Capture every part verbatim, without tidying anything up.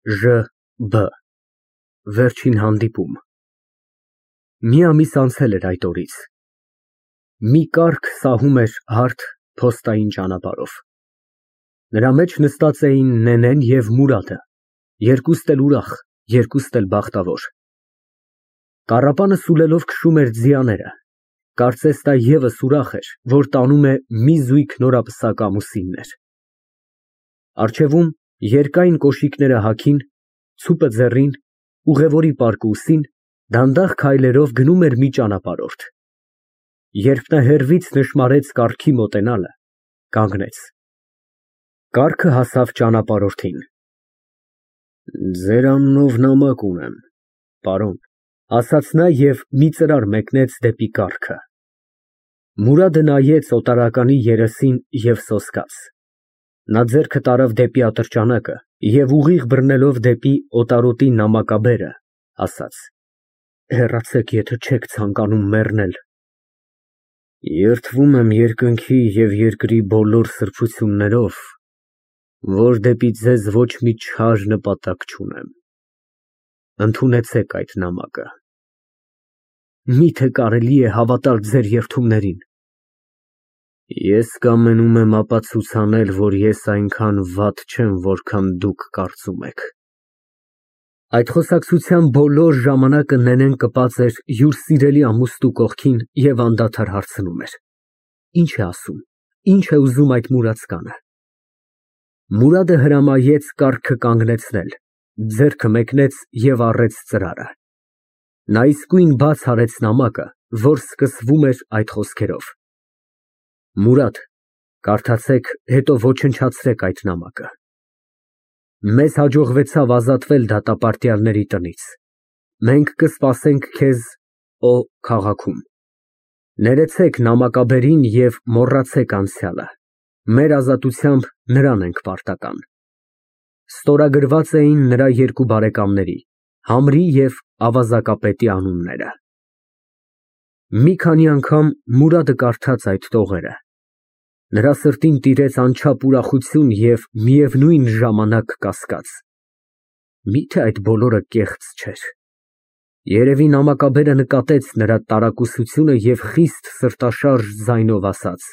Ժ B Վերջին հանդիպում։ Մի ամիս անցել էր այդ օրից։ Մի կառք սահում էր հարթ փոստային ճանապարհով։ Նրա մեջ նստած էին Նենեն և Մուրադը, երկուստ էլ ուրախ, երկուստ էլ բախտավոր։ Կառապանը սուլելով քշում էր ձիաները, կարծես նա ևս ուրախ էր, որ տանում է մի զույգ նորապսակ ամուսիններ։ Առջևում երկայն կոշիկները հագին, ցուպը ձեռին, ուղևորի պարկը ուսին, դանդաղ քայլերով գնում էր մի ճանապարհորդ։ Երբ նա հեռվից նշմարեց կառքի մոտենալը, կանգնեց։ Կառքը հասավ ճանապարհորդին։ Ձեր անունով նամակ ունեմ, պարոն, ասաց նա և մի ծրար մեկնեց դեպի կառքը։ Մուրադը նայեց օտարականի երեսին և սոսկաց։ Նա ձեռքը տարավ դեպի ատրճանակը և ուղիղ բռնելով դեպի օտարոտի նամակաբերը, ասաց. Հեռացեք, եթե չեք ցանկանում մեռնել։ Երդվում եմ երկնքի և երկրի բոլոր սրբություններով, որ դեպի ձեզ ոչ մի չար նպատակ չունեմ։ Ընդունեցեք այդ նամակը։ Միթե կարելի է հավատալ ձեր երդումներին։ Ես կամենում եմ ապացուցանել, որ ես այնքան վատ չեմ, որքան դուք կարծում եք։ Այդ խոսակցության բոլոր ժամանակը Նենեն կպած էր յուր սիրելի ամուսնու կողքին և անդադար հարցնում էր. Ինչ է ասում, ինչ է ուզում այդ մուրացկանը։ Մուրադը հրամայեց կառքը կանգնեցնել, ձեռքը մեկնեց և առեց ծրարը։ Նա իսկույն բաց արեց նամակը, որ սկսվում էր այդ խոսքերով. Մուրադ, կարդացեք, հետո ոչնչացրեք այդ նամակը։ Մեզ հաջողվեցավ ազատվել դատապարտյալների տնից։ Մենք կսպասենք քեզ Օ քաղաքում։ Ներեցեք նամակաբերին և մոռացեք անցյալը։ Մեր ազատությամբ նրան ենք պարտական։ Ստորագրված էին նրա երկու բարեկամների՝ Համրի և ավազակապետի անունները։ Մի քանի անգամ Մուրադը կարդաց այդ տողերը։ Նրա սրտին տիրեց անչափ ուրախություն և միևնույն ժամանակ կասկած. Միթե այդ բոլորը կեղծ չէր։ Երևի նամակաբերը նկատեց նրա տարակուսությունը և խիստ սրտաշարժ ձայնով ասաց.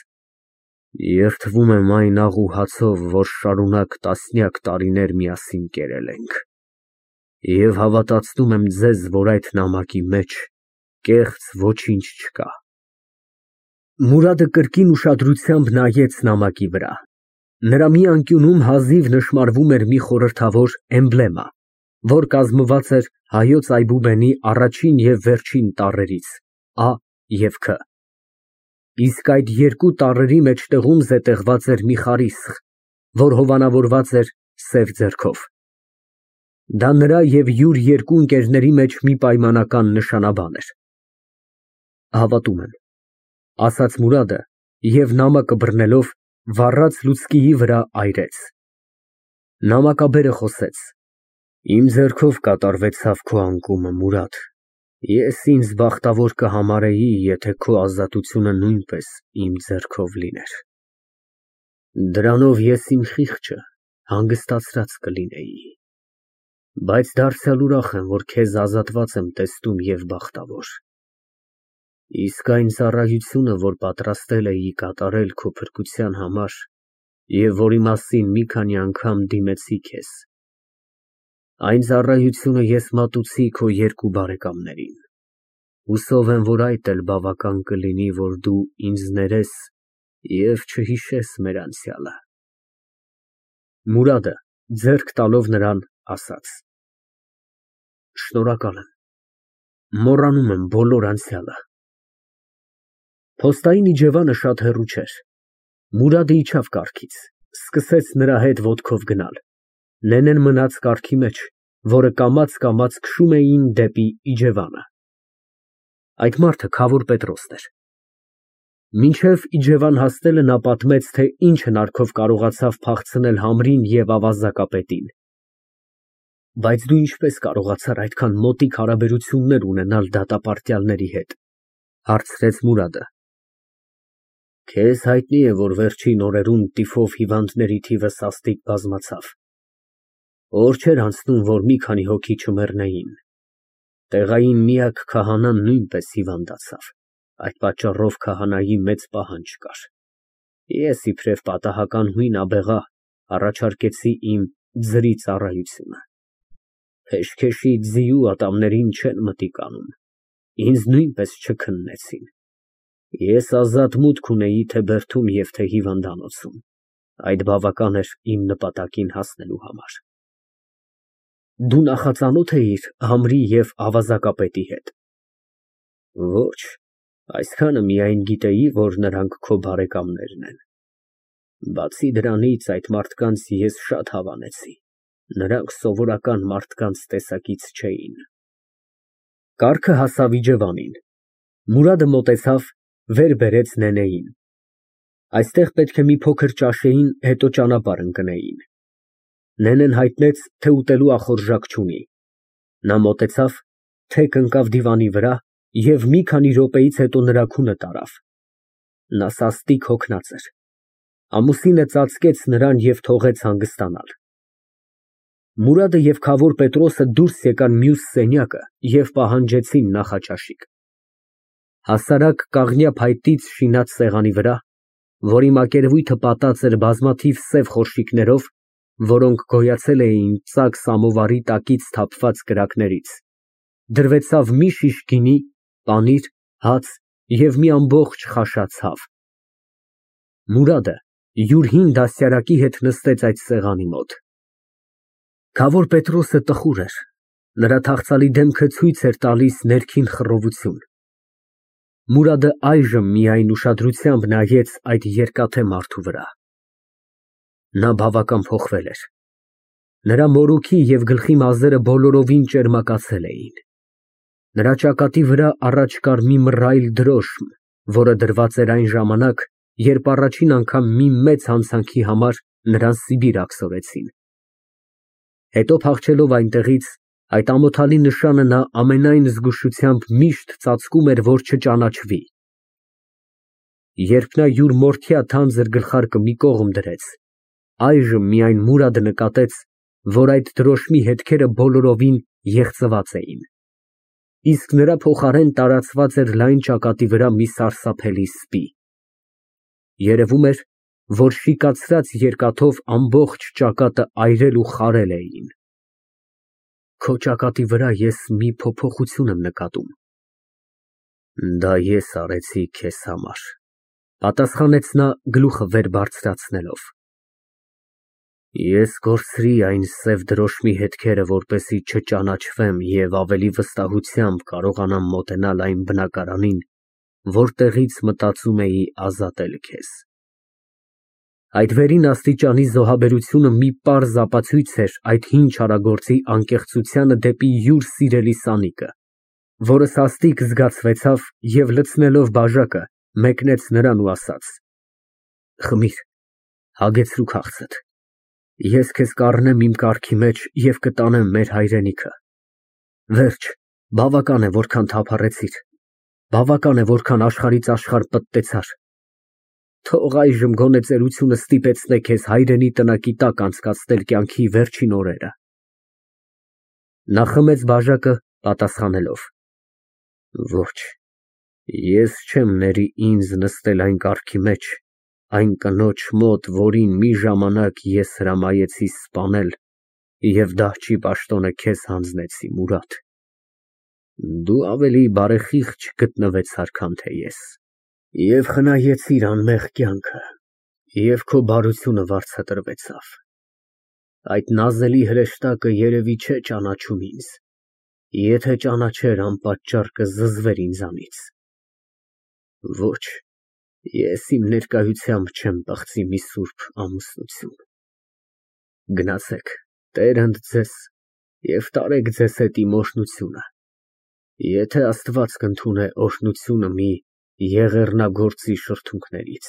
Երդվում եմ այն աղ ու հացով, որ շարունակ տասնյակ տարիներ միասին կերել ենք, և հավատացնում եմ ձեզ, որ այդ նամակի մեջ կեղծ ոչինչ չկա։ Մուրադը կրկին ուշադրությամբ նայեց նամակի վրա։ Նրա մի անկյունում հազիվ նշմարվում էր մի խորհրդավոր էմբլեմա, որ կազմված էր հայոց այբուբենի առաջին և վերջին տառերից՝ Ա և Ք։ Իսկ այդ երկու տառերի մեջտեղում զետեղված էր մի խարիսխ, որ հովանավորված էր սև ձեռքով։ Դա նրա և յուր երկու ընկերների մեջ մի պայմանական նշանաբան էր։ Հավատում եմ, ասաց Մուրադը և նամակը բռնելով, վառած լուցկիի վրա այրեց։ Նամակաբերը խոսեց. Իմ ձեռքով կատարվեցավ քո անկումը, Մուրադ, ես ինձ բախտավոր կհամարեի, եթե քո ազատությունը նույնպես իմ ձեռքով լիներ։ Դրանով ես իմ խիղճը հանգստացրած կլինեի, բայց դարձյալ ուրախ եմ, որ քեզ ազատված եմ տեսնում և բախտավոր։ Իսկ այն ծառայությունը, որ պատրաստել էի կատարել քո փրկության համար և որի մասին մի քանի անգամ դիմեցի քեզ, այն ծառայությունը ես մատուցի քո երկու բարեկամներին։ Հուսով եմ, որ այդ էլ բավական կլինի, որ դու ինձ ներես և չհիշես մեր անցյալը։ Մուրադը, ձեռք տալով նրան, ասաց. Շնորհակալ եմ, մոռանում եմ բոլոր անցյալը։ Փոստային իջևանը շատ հեռու չէր։ Մուրադը իջավ կառքից, սկսեց նրա հետ ոտքով գնալ։ Նենեն մնաց կառքի մեջ, որը կամաց֊կամաց քշում էին դեպի իջևանը։ Այդ մարդը Քավոր Պետրոսն էր։ Մինչև իջևան հասնելը նա պատմեց, թե ինչ հնարքով կարողացավ փախցնել Համրին և ավազակապետին։ Բայց դու ինչպես կարողացար այդքան մոտիկ հարաբերություններ ունենալ դատապարտյալների հետ, հարցրեց Մուրադը։ Քեզ հայտնի է, որ վերջին օրերում տիֆով հիվանդների թիվը սաստիկ բազմացավ։ Օր չէր անցնում, որ մի քանի հոգի չմեռնեին։ Տեղային միակ քահանան նույնպես հիվանդացավ, այդ պատճառով քահանայի մեծ պահանջ կար։ Ես իբրև պատահական հույն աբեղա առաջարկեցի իմ ձրի ծառայությունը։ Փեշքեշի ձիու ատամներին չեն մտիկ անում, ինձ նույնպես չքննեցին։ Ես ազատ մուտք ունեի թե բերդում և թե հիվանդանոցում, այդ բավական էր իմ նպատակին հասնելու համար։ Դու նախածանո՞թ էիր Համրի և ավազակապետի հետ։ Ոչ, այսքանը միայն գիտեի, որ նրանք քո բարեկամներն են։ Բացի դրանից, այդ մարդկանց ես շատ հավանեցի, նրանք սովորական մարդկանց տեսակից չէին։ Կառքը հասավ իջևանին, Մուրադը մոտեցավ, վեր բերեց Նենեին։ Այստեղ պետք է մի փոքր ճաշեին, հետո ճանապարհ ընկնեին։ Նենեն հայտնեց, թե ուտելու ախորժակ չունի։ Նա մոտեցավ, թեք ընկավ դիվանի վրա և մի քանի րոպեից հետո նրա քունը տարավ։ Նա սաստիկ հոգնած էր։ Ամուսինը ծածկեց նրան և թողեց հանգստանալ։ Մուրադը և քավոր Պետրոսը դուրս եկան մյուս սենյակը և պահանջեցին նախաճաշիկ։ Հասարակ կաղնյա փայտից շինած սեղանի վրա, որի մակերևույթը պատած էր բազմաթիվ սև խորշիկներով, որոնք գոյացել էին ծակ սամովարի տակից թափված կրակներից, դրվեցավ մի շիշ գինի, պանիր, հաց և մի ամբողջ խաշած հավ։ Մուրադը յուր հին դաստիարակի հետ նստեց այդ սեղանի մոտ։ Քավոր Պետրոսը տխուր էր, նրա թախծալի դեմքը ցույց էր տալիս ներքին խռովություն։ Մուրադը այժմ միայն ուշադրությամբ նայեց այդ երկաթե մարդու վրա։ Նա բավական փոխվել էր։ Նրա մորուքի և գլխի մազերը բոլորովին ճերմակացել էին։ Նրա ճակատի վրա առաջ կար մի մռայլ դրոշմ, որը դրված էր այն ժամանակ, երբ առաջին անգամ մի մեծ հանցանքի համար նրան Սիբիր աքսորեցին։ Հետո փախչելով այնտեղից, այդ ամոթալի նշանը նա ամենայն զգուշությամբ միշտ ծածկում էր, որ չճանաչվի։ Երբ նա յուր մորթյա թանձր գլխարկը մի կողմ դրեց, այժմ միայն Մուրադը նկատեց, որ այդ դրոշմի հետքերը բոլորովին եղծված էին, իսկ նրա փոխարեն տարածված էր լայն ճակատի վրա մի սարսափելի սպի։ Երևում էր, որ շիկացրած երկաթով ամբողջ ճակատը այրել ու խարել էին։ Քո ճակատի վրա ես մի փոփոխություն եմ նկատում։ Դա ես արեցի քեզ համար, պատասխանեց նա գլուխը վեր բարձրացնելով։ Ես կորցրի այն սև դրոշմի հետքերը, որպեսզի չճանաչվեմ և ավելի վստահությամբ կարողանամ մոտենալ այն բնակարանին, որտեղից մտածում էի ազատել քեզ։ Այդ վերին աստիճանի զոհաբերությունը մի պարզ ապացույց էր այդ հին չարագործի անկեղծությանը դեպի յուր սիրելի սանիկը, որը սաստիկ զգացվեցավ և լցնելով բաժակը, մեկնեց նրան ու ասաց. Խմիր, հագեցրու քաղցդ, ես քեզ կառնեմ իմ կառքի մեջ և կտանեմ մեր հայրենիքը։ Վերջ, բավական է, որքան թափառեցիր, բավական է, որքան աշխարհից աշխարհ պտտեցար։ Թող այժմ գոնե ծերությունը ստիպեցնե քեզ հայրենի տնակի տակ անցկացնել կյանքի վերջին օրերը։ Նա խմեց բաժակը, պատասխանելով. Ոչ, ես չեմ ների ինձ նստել այն կառքի մեջ, այն կնոջ մոտ, որին մի ժամանակ ես հրամայեցի սպանել և դահճի պաշտոնը քեզ հանձնեցի, Մուրադ։ Դու ավելի բարեխիղճ գտնվեցար, քան թե ես, և խնայեցիր անմեղ կյանքը, և քո բարությունը վարձատրվեցավ։ Այդ նազելի հրեշտակը երևի չէ ճանաչում ինձ, եթե ճանաչեր, անպատճառ կզզվեր ինձանից։ Ոչ, ես իմ ներկայությամբ չեմ պղծի մի սուրբ ամուսնություն։ Գնացեք, Տեր ընդ ձեզ և տարեք ձեզ հետ իմ օրհնությունը, եթե Աստված կընդունե օրհնությունը մի եղեռնագործի շրթունքներից։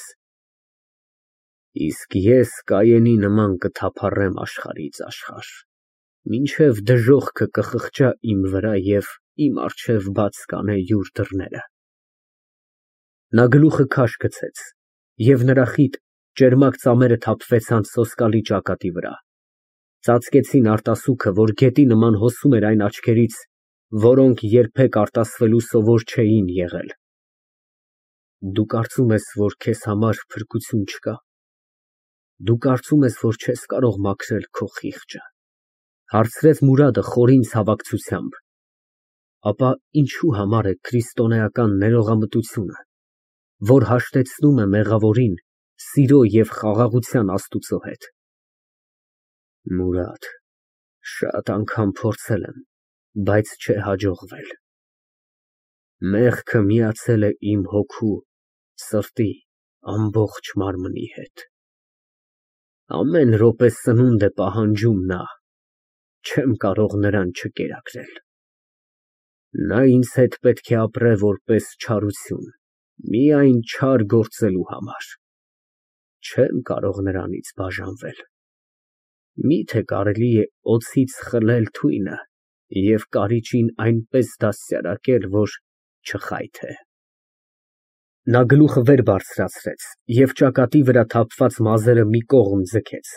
Իսկ ես Կայենի նման կթափառեմ աշխարհից աշխարհ, մինչև դժոխքը կխղճա իմ վրա և իմ առջև բաց կանե յուր դռները։ Նա գլուխը քաշ գցեց, և նրա խիտ, ճերմակ ծամերը թափվեցան սոսկալի ճակատի վրա։ Ծածկեցին արտասուքը, որ գետի նման հոսում էր այն աչքերից, որոնք երբեք արտասվելու սովոր չէին եղել։ Դու կարծում ես, որ քեզ համար փրկություն չկա։ Դու կարծում ես, որ չես կարող մաքրել քո խիղճը, հարցրեց Մուրադը խորին ցավակցությամբ։ Ապա ինչու համար է քրիստոնեական ներողամտությունը, որ հաշտեցնում է մեղավորին սիրո և խաղաղության Աստուծո հետ։ Մուրադ, շատ անգամ փորձել եմ, բայց չէ հաջողվել։ Մեղքը միացել է իմ հոգու, սրտի, ամբողջ մարմնի հետ։ Ամեն րոպե սնունդ է պահանջում նա, չեմ կարող նրան չկերակրել։ Նա ինձ հետ պետք է ապրե որպես չարություն, միայն չար գործելու համար։ Չեմ կարող նրանից բաժանվել։ Մի՞թե կարելի է օձից խլել թույնը և կարիճին այնպես դաստիարակել, որ չխայթե։ Նա գլուխը վեր բարձրացրեց և ճակատի վրա թափված մազերը մի կողմ ձգեց։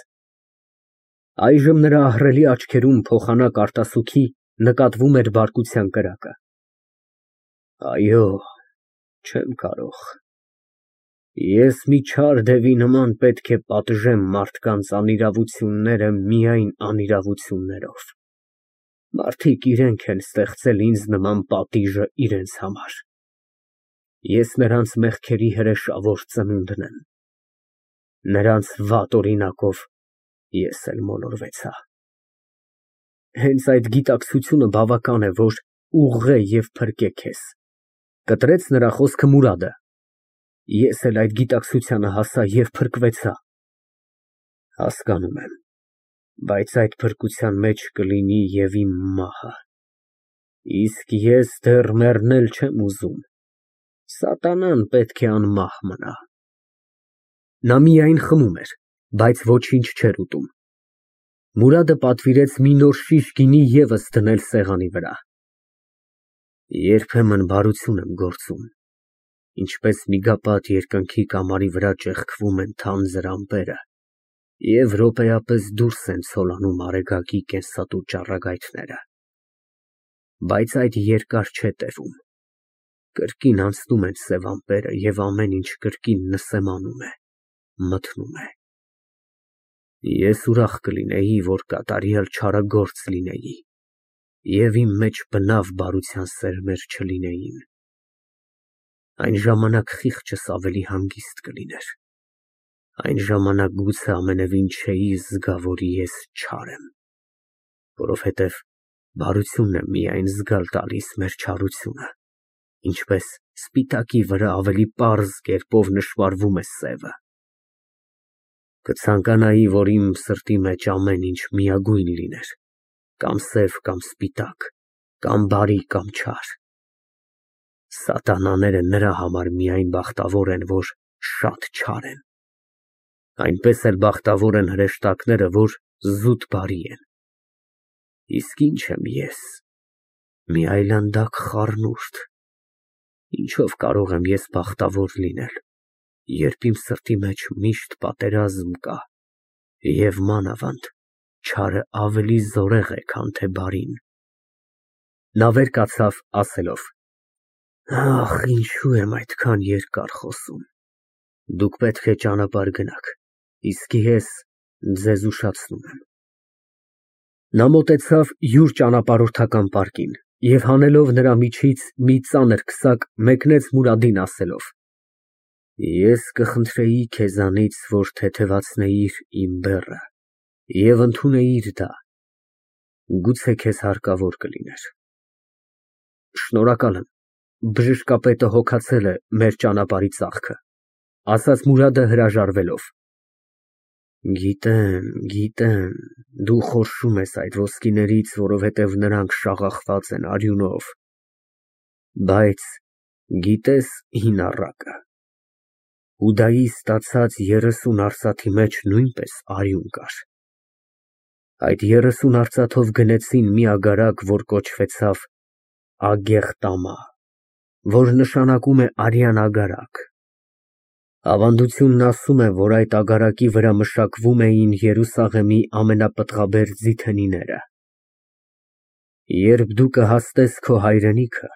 Այժմ նրա ահռելի աչքերում փոխանակ արտասուքի նկատվում էր բարկության կրակը։ Այո, չեմ կարող։ Ես մի չար դևի նման պետք է պատժեմ մարդկանց անիրավությունները միայն անիրավություններով։ Մարդիկ իրենք են ստեղծել ինձ նման պատիժը իրենց համար։ Ես նրանց մեղքերի հրեշավոր ծնունդն եմ։ Նրանց վատ օրինակով ես էլ մոլորվեցա։ Հենց այդ գիտակցությունը բավական է, որ ուղղե և փրկե քեզ, կտրեց նրա խոսքը Մուրադը։ Ես էլ այդ գիտակցությանը հասա և փրկվեցա։ Հասկանում եմ, բայց այդ փրկության մեջ կլինի և իմ մահը։ Իսկ ես դեռ մեռնել չեմ ուզում, սատանան պետք է անմահ մնա։ Նա միայն խմում էր, բայց ոչինչ չէր ուտում։ Մուրադը պատվիրեց մի նոր շիշ գինի ևս դնել սեղանի վրա։ Երբեմն բարություն եմ գործում, ինչպես միգապատ երկնքի կամարի վրա ճեղքվում են թանձր ամպերը և րոպեապես դուրս են ցոլանում արեգակի կենսատու ճառագայթները։ Բայց այդ երկար չէ տևում, կրկին անցնում են սև ամպերը և ամեն ինչ կրկին նսեմանում է, մթնում է։ Ես ուրախ կլինեի, որ կատարյալ չարագործ լինեի և իմ մեջ բնավ բարության սերմեր չլինեին։ Այն ժամանակ խիղճս ավելի հանգիստ կլիներ։ Այն ժամանակ գուցե ամենևին չէի զգա, որ ես չար եմ, որովհետև բարությունն է միայն զգալ տալիս մեր չարությունը, ինչպես սպիտակի վրա ավելի պարզ կերպով նշմարվում է սևը։ Կցանկանայի, որ իմ սրտի մեջ ամեն ինչ միագույն լիներ, կամ սև, կամ սպիտակ, կամ բարի, կամ չար։ Սատանաները նրա համար միայն բախտավոր են, որ շատ չար են։ Այնպես էլ բախտավոր են հրեշտակները, որ զուտ բարի են։ Իսկ ինչ եմ ես, մի այլանդակ խառնուրդ։ Ինչով կարող եմ ես բախտավոր լինել, երբ իմ սրտի մեջ միշտ պատերազմ կա, և մանավանդ չարը ավելի զորեղ է, քան թե բարին։ Նա վեր կացավ, ասելով. Ախ, ինչու եմ այդքան երկար խոսում։ Դուք պետք է ճանապարհ գնաք, իսկ ես ձեզ ուշացնում եմ։ Նա մոտեցավ յուր ճանապարհորդական պարկին և հանելով նրա միջից մի ծանր քսակ, մեկնեց Մուրադին, ասելով. Ես կխնդրեի քեզանից, որ թեթևացնեիր իմ բեռը և ընդունեիր դա, գուցե քեզ հարկավոր կլիներ։ Շնորհակալ եմ, բժշկապետը հոգացել է մեր ճանապարհի ծախքը, ասաց Մուրադը հրաժարվելով։ Գիտեմ, գիտեմ, դու խորշում ես այդ ոսկիներից, որովհետև նրանք շաղախված են արյունով, բայց գիտես հին առակը, Հուդայի ստացած երեսուն արծաթի մեջ նույնպես արյուն կար։ Այդ երեսուն արծաթով գնեցին մի ագարակ, որ կոչվեցավ Ագեղտամա, որ նշանակում է արյան ագարակ։ Ավանդությունն ասում է, որ այդ ագարակի վրա մշակվում էին Երուսաղեմի ամենապտղաբեր ձիթենիները։ Երբ դու կհասնես քո հայրենիքը,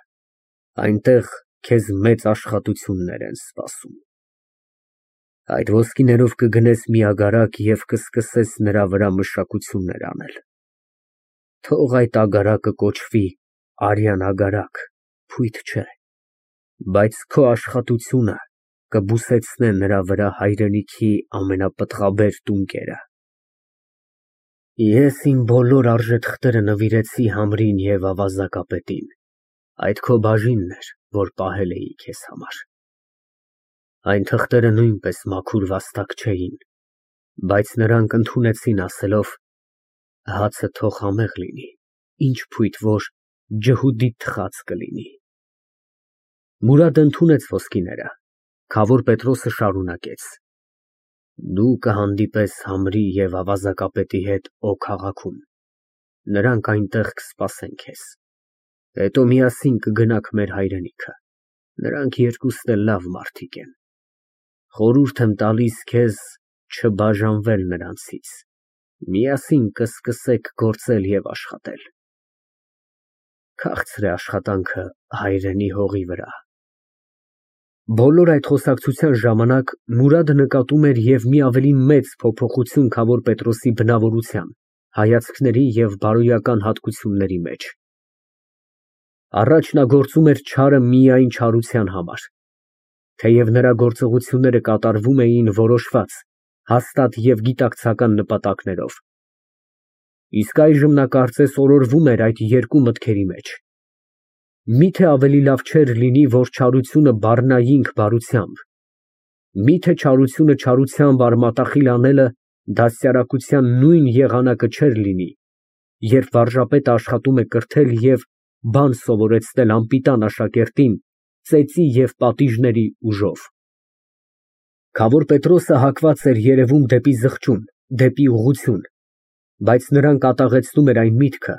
այնտեղ քեզ մեծ աշխատություններ են սպասում։ Այդ ոսկիներով կգնես մի ագարակ և կսկսես նրա վրա մշակություններ անել։ Թող այդ ագարակը կոչվի Արյան ագարակ, փույթ չէ, բայց քո աշխատությունը կբուսեցնե նրա վրա հայրենիքի ամենապտղաբեր տունկերը։ Ես իմ բոլոր արժեթղթերը նվիրեցի Համրին և ավազակապետին, այդ քո բաժինն էր, որ պահել էի քեզ համար։ Այն թղթերը նույնպես մաքուր վաստակ չէին, բայց նրանք ընդունեցին, ասելով. հացը թող համեղ լինի, ինչ փույթ որ ջհուդի թխած կլինի։ Մուրադը ընդունեց ոսկիները, Քավոր Պետրոսը շարունակեց. Դու կհանդիպես Համրի և ավազակապետի հետ Օ քաղաքում, նրանք այնտեղ կսպասեն քեզ, հետո միասին կգնաք մեր հայրենիքը, նրանք երկուսն էլ լավ մարդիկ են, խորհուրդ եմ տալիս քեզ չբաժանվել նրանցից, միասին կսկսեք գործել և աշխատել։ Քաղցր է աշխատանքը հայրենի հողի վրա։ Բոլոր այդ խոսակցության ժամանակ Մուրադը նկատում էր և մի ավելի մեծ փոփոխություն Քավոր Պետրոսի բնավորության, հայացքների և բարոյական հատկությունների մեջ։ Առաջ նա գործում էր չարը միայն չարության համար, թեև նրա գործողությունները կատարվում էին որոշված, հաստատ և գիտակցական նպատակներով, իսկ այժմ նա կարծես օրորվում էր այդ երկու մտքերի մեջ։ Միթե ավելի լավ չէր լինի, որ չարությունը բառնայինք բարությամբ, միթե չարությունը չարությամբ արմատախիլ անելը դաստիարակության նույն եղանակը չէր լինի, երբ վարժապետը աշխատում է կրթել և բան սովորեցնել անպիտան աշակերտին ծեծի և պատիժների ուժով։ Քավոր Պետրոսը հակված էր երևում դեպի զղջում, դեպի ուղղություն, բայց նրան կատաղեցնում էր այն միտքը,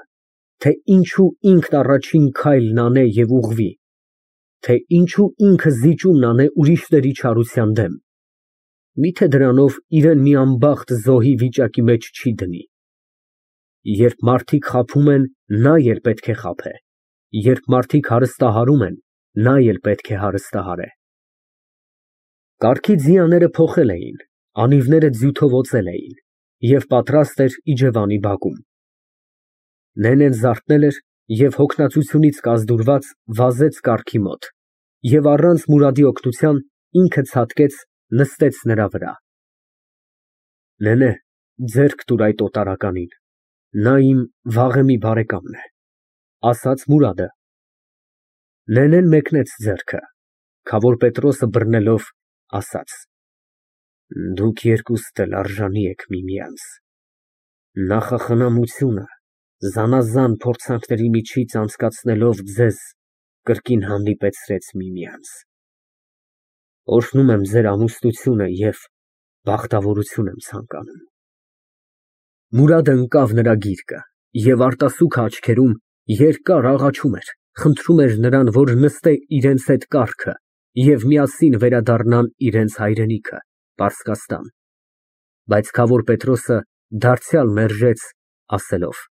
թե ինչու ինքն առաջին քայլն անե և ուղղվի, թե ինչու ինքը զիջումն անե ուրիշների չարության դեմ, միթե դրանով իրան մի անբախտ զոհի վիճակի մեջ չի դնի։ Երբ մարդիկ խաբում են, նա էլ պետք է խաբե, երբ մարդիկ հարստահարում են, նա էլ պետք է հարստահարե։ Կառքի ձիաները փոխել էին, անիվները ձյութով օծել էին և պատրաստ էր իջևանի բակում։ Նենեն զարթնել էր և հոգնածությունից կազդուրված վազեց կառքի մոտ և առանց Մուրադի օգնության ինքը ցատկեց, նստեց նրա վրա։ Ձեռք տուր այդ օտարականին, նա իմ վաղեմի բարեկամն է, ասաց Մուրադը։ Նենեն մեկնեց ձեռքը, Քավոր Պետրոսը բռնելով ասաց. Դուք երկուստ էլ արժանի եք միմյանց։ Նախախնամությունը զանազան փորձանքների միջից անցկացնելով ձեզ կրկին հանդիպեցրեց միմյանց։ Օրհնում եմ ձեր ամուսնությունը և բախտավորություն եմ ցանկանում։ Մուրադը ընկավ նրա գիրկը և արտասուքը աչքերում երկար աղաչում էր, խնդրում էր նրան, որ նստե իրենց հետ կառքը և միասին վերադառնան իրենց հայրենիքը, Պարսկաստան, բայց Քավոր Պետրոսը դարձյալ մերժեց, ասելով.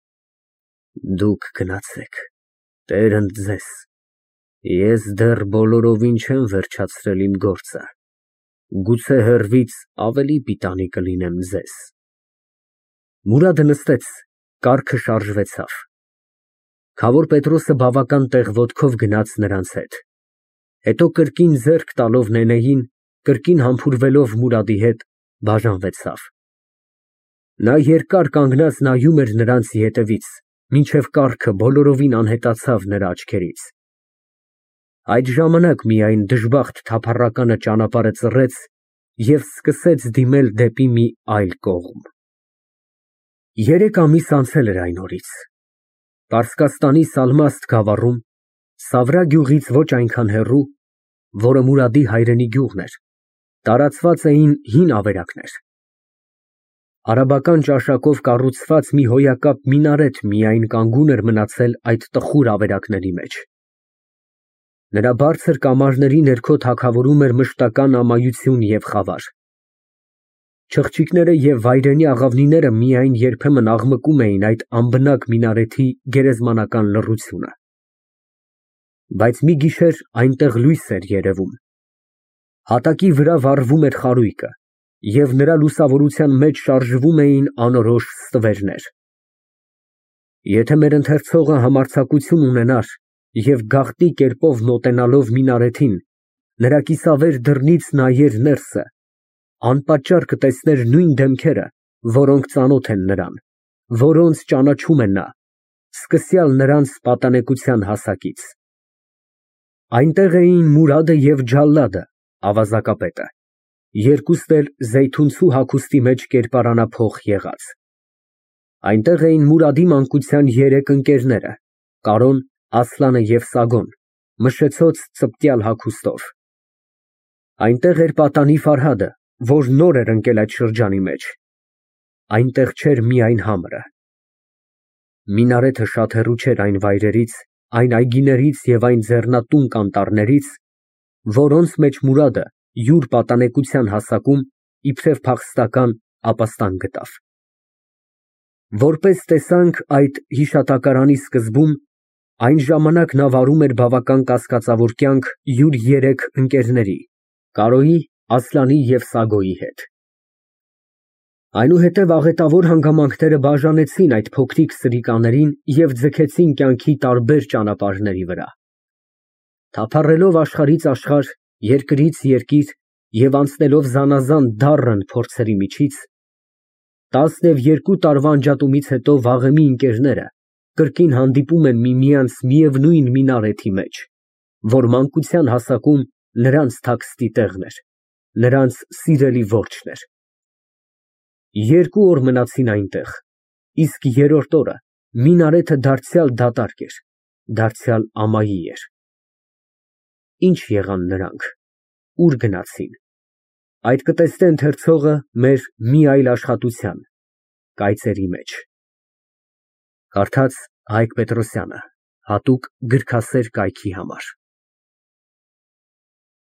Դուք գնացեք, Տեր ընդ ձեզ, ես դեռ բոլորովին չեմ վերջացրել իմ գործը, գուցե հեռվից ավելի պիտանի կլինեմ ձեզ։ Մուրադը նստեց, կառքը շարժվեցավ։ Քավոր Պետրոսը բավական տեղ ոտքով գնաց նրանց հետ, հետո կրկին ձեռք տալով Նենեին, կրկին համբուրվելով Մուրադի հետ, բաժանվեցավ։ Նա երկար կանգնած նայում էր նրանց ետևից, մինչև կառքը բոլորովին անհետացավ նրա աչքերից։ Այդ ժամանակ միայն դժբախտ թափառականը ճանապարհը ծռեց և սկսեց դիմել դեպի մի այլ կողմ։ Երեք ամիս անցել էր այն օրից։ Պարսկաստանի Սալմաստ գավառում, Սավրա գյուղից ոչ այնքան հեռու, որը Մուրադի հայրենի գյուղն էր, տարածված էին հին ավերակներ։ Արաբական ճաշակով կառուցված մի հոյակապ մինարետ միայն կանգուն էր մնացել այդ տխուր ավերակների մեջ։ Նրա բարձր կամարների ներքո թագավորում էր մշտական ամայություն և խավար։ Չղջիկները և վայրենի աղավնիները միայն երբեմն աղմկում էին այդ անբնակ մինարեթի գերեզմանական լռությունը։ Բայց մի գիշեր այնտեղ լույս էր երևում։ Հատակի վրա վառվում էր խարույկը, և նրա լուսավորության մեջ շարժվում էին անորոշ ստվերներ։ Եթե մեր ընթերցողը համարձակություն ունենար և գաղտնի կերպով մոտենալով մինարեթին, նրա կիսավեր դռնից նայեր ներսը, անպատճառ կտեսներ նույն դեմքերը, որոնք ծանոթ են նրան, որոնց ճանաչում է նա, սկսյալ նրանց պատանեկության հասակից։ Այնտեղ էին Մուրադը և Ջալլադը, ավազակապետը, երկուստ էլ զեյթունցու հագուստի մեջ կերպարանափոխ եղած։ Այնտեղ էին Մուրադի մանկության երեք ընկերները՝ Կարոն, Ասլանը և Սագոն, մշեցոց ծպտյալ հագուստով։ Այնտեղ էր պատանի Ֆարհադը, որ նոր էր ընկել այդ շրջանի մեջ։ Այնտեղ չէր միայն համրը։ Մինարեթը շատ հեռու չէր այն վայրերից, այն այգիներից և այն ձեռնատուն կանտառներից, որոնց մեջ Մուրադը յուր պատանեկության հասակում իբրև փախստական ապաստան գտավ։ Որպես տեսանք այդ հիշատակարանի սկզբում, այն ժամանակ նա վարում էր բավական կասկածավոր կյանք յուր երեք ընկերների՝ Կարոյի, Ասլանի և Սագոյի հետ։ Այնուհետև աղետավոր հանգամանքները բաժանեցին այդ փոքրիկ սրիկաներին և ձգեցին կյանքի տարբեր ճանապարհների վրա։ Թափառելով աշխարհից աշխարհ, երկրից երկիր և անցնելով զանազան դառն փորձերի միջից, տասնևերկու տարվա անջատումից հետո վաղեմի ընկերները կրկին հանդիպում են միմյանց միևնույն մինարեթի մեջ, որ մանկության հասակում նրանց թաքստի տեղն էր, նրանց սիրելի որջն էր։ Երկու օր մնացին այնտեղ, իսկ երրորդ օրը մինարեթը դարձյալ դատարկ էր, դարձյալ ամայի էր։ Ի՞նչ եղան նրանք, ուր գնացին, այդ կտեսնե ընթերցողը մեր մի այլ աշխատության՝ «Կայծերի» մեջ։ Կարդաց Հայկ Պետրոսյանը, հատուկ գրքասեր կայքի համար։